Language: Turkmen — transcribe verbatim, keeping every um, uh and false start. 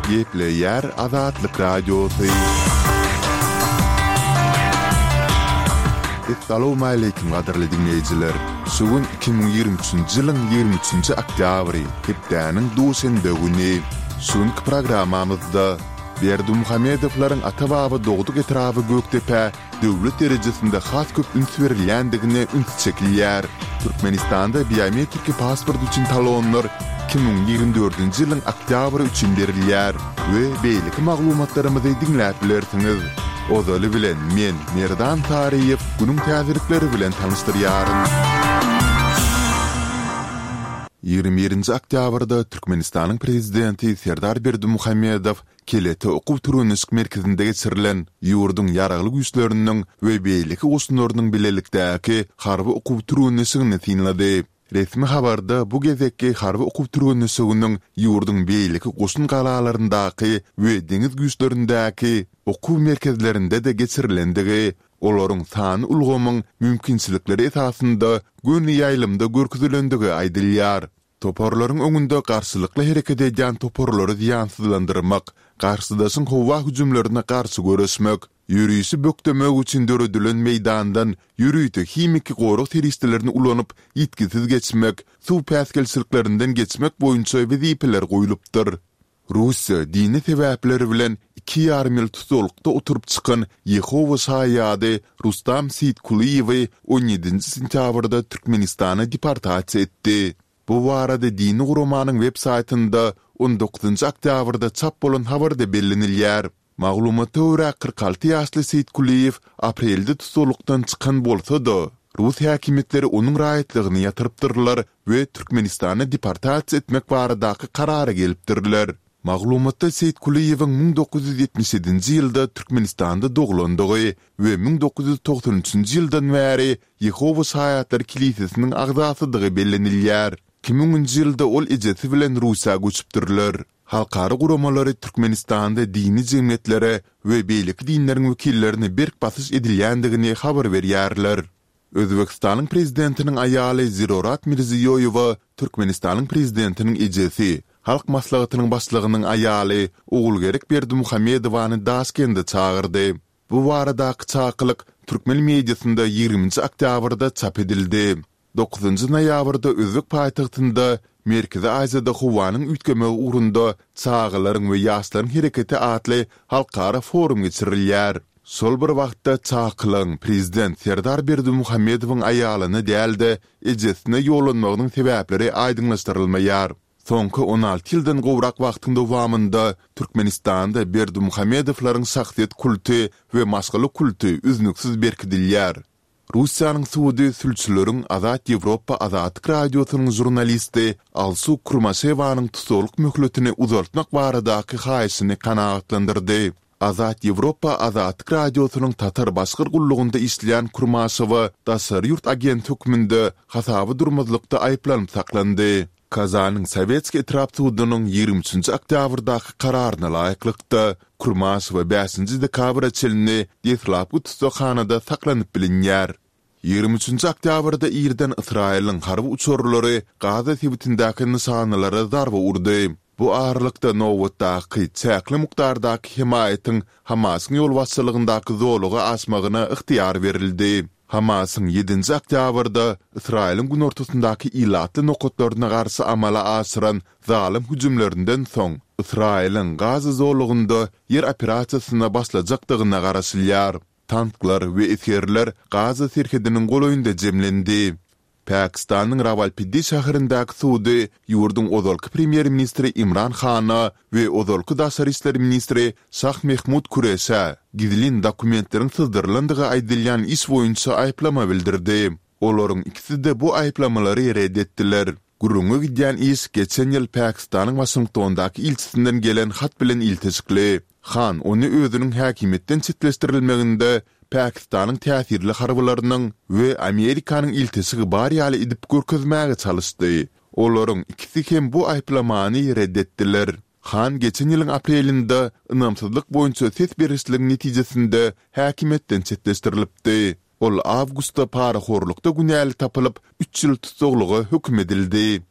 Gepleýär Azatlyk Radiosy. Essalawmaleýkim gadyrly diňleýjiler! Şu gün iki müň ýigrimi üçünji ýylyň ýigrimi üçünji oktýabry, hepdäniň duşenbe güni. Şu günki programmamyzda Berdimuhamedowlaryň ata-baba dogduk etraby Gökdepä döwlet derejesinde has köp üns berilýändigine üns çekilýär. Türkmenistanda biometriki pasport üçin talonlar iki müň ýigrimi dördünji ýylyň oktýabry üçin berilýär we beýleki maglumatlarymyzy diňläp bilersiňiz. Ozaly bilen men, Merdan Taryýew, günüň täzelikleri bilen tanyşdyrýaryn. Ýigrimi birinji oktýabrda Türkmenistanyň Prezidenti Serdar Berdimuhamedow Kelete okuw-türgenleşik merkezinde geçirilen ýurduň Ýaragly Güýçleriniň we beýleki goşunlarynyň bilelikdäki harby okuw-türgenleşigini synlady. Resmi habarda bu gezekki harby okuw-türgenleşiginiň ýurduň beýleki goşun galalaryndaky we deňiz güýçlerindäki okuw merkezlerinde-de geçirilendigi, olaryň sanly ulgamyň mümkinçilikleri esasynda göni ýaýlymda görkezilendigi aýdylýar. Toparlaryň öňünde garşylykly hereket edýän toparlary zyýansyzlandyrmak, garşydaşyň howa hüjümlerine garşy göreşmek, ýörişi bökdemek üçin döredilen meýdandan ýörite himiki gorag serişdelerini ulanyp ýitgisiz geçmek, suw päsgelçiliklerinden geçmek boýunça wezipeler goýlupdyr. Russiýa dini sebäpler bilen iki ýarym ýyl tussaglykda oturyp çykan Ýehowa şaýady Rustam Seýitkulyýewi on ýedinji sentýabrda Türkmenistana deportasiýa etdi. Bu barada dini guramanyň web saýtynda on dokuzynjy oktýabrda çap bolan habarda bellenilýär. Maglumata görä, kyrk alty ýaşly Seýitkulyýew aprelde tussaglykdan çykan bolsa-da, rus häkimiýetleri onuň raýatlygyny ýatyrypdyrlar we Türkmenistana deportasiýa etmek baradaky karara gelipdirler. Maglumatda Seýitkulyýewiň müň dokuz ýüz ýetmiş ýedinji ýylda Türkmenistanda doglandygy we müň dokuz ýüz togsan üçünji ýyldan bäri Ýehowa şaýatlary kilisesiniň agzasydygy bellenilýär. Iki müňünji ýylda ol ejesi bilen Russiýa göçüpdirler. Halkara guramalary Türkmenistanda dini jemgyýetlere we beýleki dinleriň wekillerine berk basyş edilýändigini habar berýärler. Özbegistanyň prezidentiniň aýaly Zirorat Mirziýoýewa Türkmenistanyň prezidentiniň ejesi, Halk Maslahatynyň başlygynyň aýaly Ogulgerek Berdimuhamedowany Daşkende çagyrdy. Bu baradaky çakylyk türkmen mediasynda ýigriminji oktýabrda çap edildi. Dokuzynjy noýabrda özbek paýtagtynda Merkezi Aziýada howanyň üýtgemegi ugrunda çagalaryň we ýaşlaryň hereketi atly halkara forum geçirilýär. Şol bir wagtda çakylygyň prezident Serdar Berdimuhamedowyň aýalyna däl-de, ejesine ýollanmagynyň sebäpleri aýdyňlaşdyrylmaýar. Soňky on alty ýyldan gowrak wagtyň dowamynda Türkmenistanda Berdimuhamedowlaryň şahsyýet kulty we maşgala kulty üznüksiz berkidilýär. Russiýanyň sudy sülçüleriň Azat Ýewropa Azatlyk Radiosynyň žurnalisti Alsu Kurmaşewanyň tussaglyk möhletini uzaltmak baradaky haýyşyny kanagatlandyrdy. Azat Ýewropa Azatlyk Radiosynyň Tatar-Başgyr gullugynda işleýän Kurmaşewa daşary ýurt agenti hökmünde hasaba durmazlykda aýyplanyp saklandy. Kazanyň Sowetskiý etrap sudunyň ýigrimi üçünji oktýabrdaky kararyna laýyklykda, Kurmaşewa bäşinji dekabra çenli deslapky tussaghanada saklanyp bilinýär. Ýigrimi üçünji oktýabrda irden Ysraýylyň harby uçarlary Gaza sebitindäki nyşanalara zarba urdy. Bu aralykda nobatdaky çäkli mukdardaky hemaýatyň Hamasyň ýolbaşçylygyndaky zolaga aşmagyna ygtyýar berildi. Hamasyň ýedinji oktýabrda Ysraýylyň günortasyndaky ilatly nokatlaryna garşy amala aşyran zalym hüjümlerinden soň, Ysraýylyň Gaza zolagynda ýer operasiýasyna başlajakdygyna garaşylýar. Tanklar we esgerler Gaza serhediniň golaýynda jemlendi. Pakistanyň Rawalpindi şäherindäki sudy ýurduň ozalky premýer-ministri Imran Hana we ozalky daşary işler ministri Şah Mehmud Kureşä gizlin dokumentleriň syzdyrylandygy aýdylýan iş boýunça aýyplama bildirdi. Olaryň ikisi-de bu aýyplamalary ret etdiler. Gürrüňi gidýän iş geçen ýyl Pakistanyň Waşingtondaky ilçisinden gelen hat bilen ilteşikli. Han ony özüniň häkimiýetden çetleşdirilmeginde Pakistanyň täsirli harbylarynyň we Amerikanyň ilteşigi bar ýaly edip görkezmäge çalyşdy. Olaryň ikisi hem bu aýyplamany ret etdiler. Han geçen ýylyň aprelinde ynamsyzlyk boýunça ses berişligiň netijesinde häkimiýetden çetleşdirilipdi. Ol awgustda parahorlukda günäli tapylyp, üç ýyl tussaglyga höküm edildi.